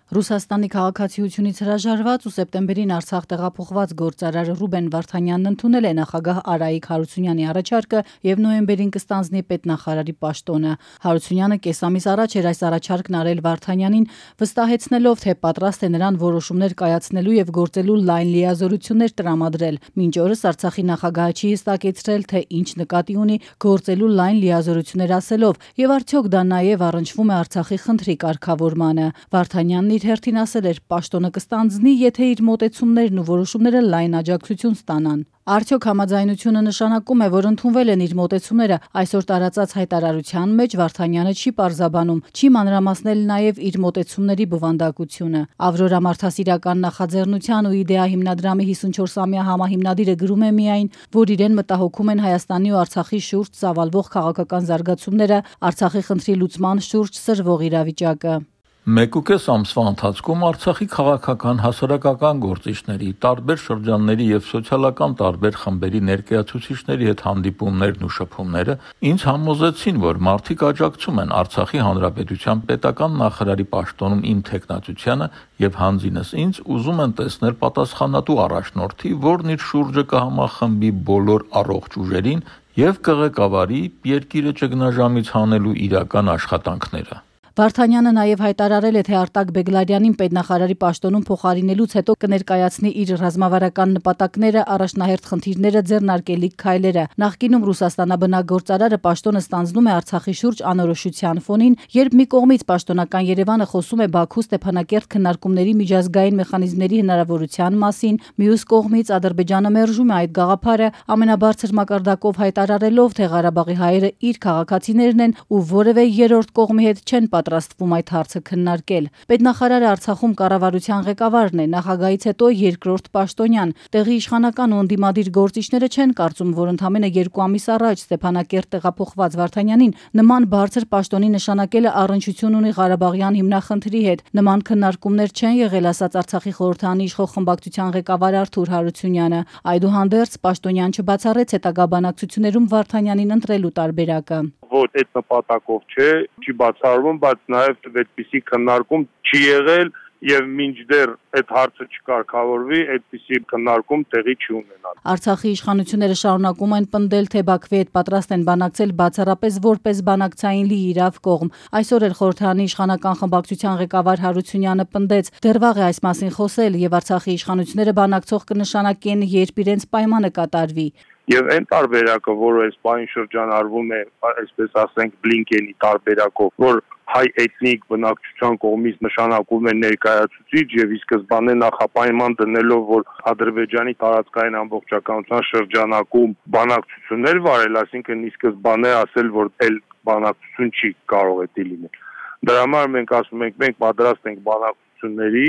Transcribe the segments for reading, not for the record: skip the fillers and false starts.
Ռուսաստանի քաղաքացիությունից հրաժարված ու սեպտեմբերին Արցախ տեղափոխված գործարար Ռուբեն Վարդանյանն ընդունել է նախագահ Արայիկ Հարությունյանի առաջարկը եւ նոյեմբերին կստանձնի պետնախարարի պաշտոնը։ Հարությունյանը կես ամիս առաջ էր այս առաջարկն արել Վարդանյանին, վստահեցնելով, թե պատրաստ է նրան որոշումներ կայացնելու եւ գործելու լայն լիազորություններ տրամադրել։ Մինչ օրս Արցախի նախագահը չի հստակեցրել, թե ինչ նկատի ունի գործելու լայն լիազորություններ ասելով եւ արդյոք դա նաեւ առնչվում է Արցախի խնդրի կարգավորմանը։ Վարդանյանն իր հերթին ասել էր, պաշտոնը կստանձնի, եթե իր մոտեցումներն ու որոշումները լայն աջակցություն ստանան։ Արդյոք համաձայնությունը նշանակում է, որ ընդունվել են իր մոտեցումները, այսօր տարածած հայտարարության մեջ Վարդանյանը չի պարզաբանում, չի մանրամասնել նաև իր մոտեցումների բովանդակությունը։ Ավրորա մարդասիրական նախաձեռնության ու Իդեա հիմնադրամի 54-ամյա համահիմնադիրը գրում է միայն, որ իրեն մտահոգում են Հայաստանի ու Արցախի շուրջ ծավալվող քաղաքական զարգացումները, Արցախի խնդրի լուծման շուրջ սրվող իրավիճակը։ 1.5 ամսվա ընթացքում Արցախի քաղաքական, հասարակական գործիչների, տարբեր շրջանների եւ սոցիալական տարբեր խմբերի ներկայացուցիչների հետ հանդիպումներն ու շփումները ինձ համոզեցին, որ մարդիկ աջակցում են Արցախի Հանրապետության պետական նախարարի պաշտոնում իմ թեկնածությանը եւ հանձինս ինձ ուզում են տեսնել պատասխանատու առաջնորդի, որն իր շուրջը կհամախմբի բոլոր առողջ ուժերին եւ կղեկավարի երկիրը ճգնաժամից հանելու իրական աշխատանքները։ Վարդանյանը նաև հայտարարել է, թե Արտակ Բեգլարյանին պետնախարարի պաշտոնում փոխարինելուց հետո կներկայացնի իր ռազմավարական նպատակները, առաջնահերթ խնդիրները, ձեռնարկելիք քայլերը։ Նախկինում Ռուսաստանաբնակ գործարարը պաշտոնը ստանձնում է Արցախի շուրջ անորոշության ֆոնին, երբ մի կողմից պաշտոնական Երևանը խոսում է Բաքու-Ստեփանակերտ քննարկումների միջազգային մեխանիզմների հնարավորության մասին, մյուս կողմից Ադրբեջանը մերժում է այդ գաղափարը, ամենաբարձր մակարդակով հայտարարելով, թե Ղարաբաղի հայերը իր քաղաքացիներն են ու որևէ երրորդ կողմի հետ չեն պատրաստվում այդ հարցը քննարկել։ Պետնախարարը Արցախում կառավարության ղեկավարն է, նախագահից հետո երկրորդ պաշտոնյան։ Տեղի իշխանական ու ընդդիմադիր գործիչները չեն կարծում, որ ընդամենը 2 ամիս առաջ Ստեփանակերտ տեղափոխված Վարդանյանին նման բարձր պաշտոնի նշանակելը առնչություն ունի Ղարաբաղյան հիմնախնդրի հետ։ Նման քննարկումներ չեն եղել, ասաց Արցախի խորհրդանի իշխող խմբակցության ղեկավար Արթուր Հարությունյանը։ Այդուհանդերձ պաշտոնյան չբացառեց հետագա բանակցություններում Վարդանյանին ընտրելու տարբերակը։ Ոչ այդ նպատակով չի բացառվում, բայց նաև այդպիսի քննարկում չի եղել եւ մինչդեռ այդ հարցը չկարգավորվի, այդպիսի քննարկում տեղի չի ունենալ։ Արցախի իշխանությունները շարունակում են պնդել, թե Բաքվի հետ պատրաստ են բանակցել բացառապես որպես բանակցային լիիրավ կողմ։ Այսօր էլ խորհրդանի իշխանական խմբակցության ղեկավար Հարությունյանը պնդեց, դեռ վաղ է այս մասին խոսել եւ Արցախի իշխանությունները բանակցող կնշանակեն, երբ իրենց պայմանը կատարվի։ Եվ այն տարբերակը, որը այս պահին շրջանառվում է, այսպես ասենք, Բլինկենի տարբերակով, որ հայ էթնիկ բնակչության կողմից նշանակում է ներկայացուցիչ եւ ի սկզբանե նախապայման դնելով, որ Ադրբեջանի տարածքային ամբողջականության շրջանակում բանակցություններ վարել, այսինքն ի սկզբանե ասել, որ այլ բանակցություն չի կարող է լինել։ Դրա համար մենք ասում ենք, մենք պատրաստ ենք բանակցությունների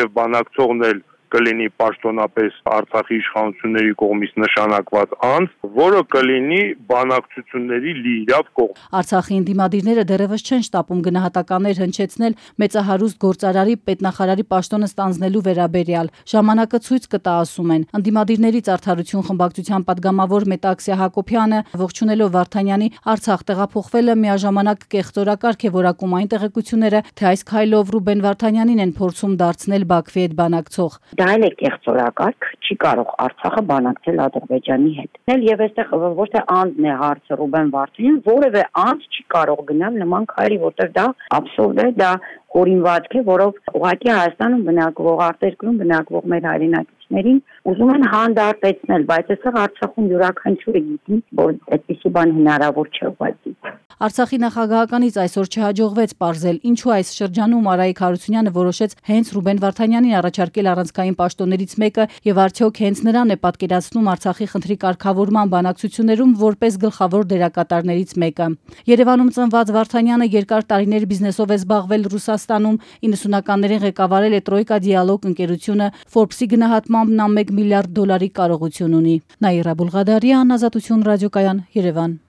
եւ բանակցողն էլ կլինի պաշտոնապես Արցախի իշխանությունների կողմից նշանակված անձ, որը կլինի բանակցությունների լիիրավ կողմ։ Արցախի ընդդիմադիրները դեռևս չեն շտապում գնահատականներ հնչեցնել մեծահարուստ գործարարի պետնախարարի պաշտոնը ստանձնելու վերաբերյալ։ Ժամանակը ցույց կտա, ասում են։ Ընդդիմադիրներից Արդարություն խմբակցության падգամավոր Մետաքսիա Հակոբյանը ողջունելով Վարդանյանի Արցախ տեղափոխվելը միաժամանակ կեղծորակարգ է որակում այն տեղեկությունները, թե այս քայլով Ռուբեն Վարդանյանին են փորձում դարձնել Բաքվի հետ բանակցող։ Դա էլ է կեղծորակարգ, չի կարող Արցախը բանակցել Ադրբեջանի հետ։ Եվ այստեղ ոչ թե անձն է հարցը Ռուբեն Վարդանյան, որևէ անձ չի կարող գնալ նման քայլի, որտեղ դա աբսուրդ է, դա հորինվածք է, որով ուղղակի Հայաստանում բնակվող, արտերկրում բնակվող մեր հայրենակիցներին ուզում են հանդարտեցնել, բայց այստեղ Արցախում յուրաքանչյուրը գիտի, որ այդպիսի բան հնարավոր չէ ուղղակի։ Արցախի նախագահականից այսօր չհաջողվեց պարզել, ինչու այս շրջանում Արայիկ Հարությունյանը որոշեց հենց Ռուբեն Վարդանյանին առաջարկել առանցքային պաշտոններից մեկը եւ արդյոք հենց նրան է պատկերացնում Արցախի խնդրի կարգավորման բանակցություններում որպես գլխավոր դերակատարներից մեկը։ Երևանում ծնված Վարդանյանը երկար տարիներ բիզնեսով է զբաղվել Ռուսաստանում, 90-ականներին ղեկավարել է Տրոյկա Դիալոգ ընկերությունը, Forbes-ի գնահատմամբ նա $1 միլիարդ կարողություն ունի։ Նաիրա Բուլղադարյան, Ազատություն ռադիոկայան, Երևան։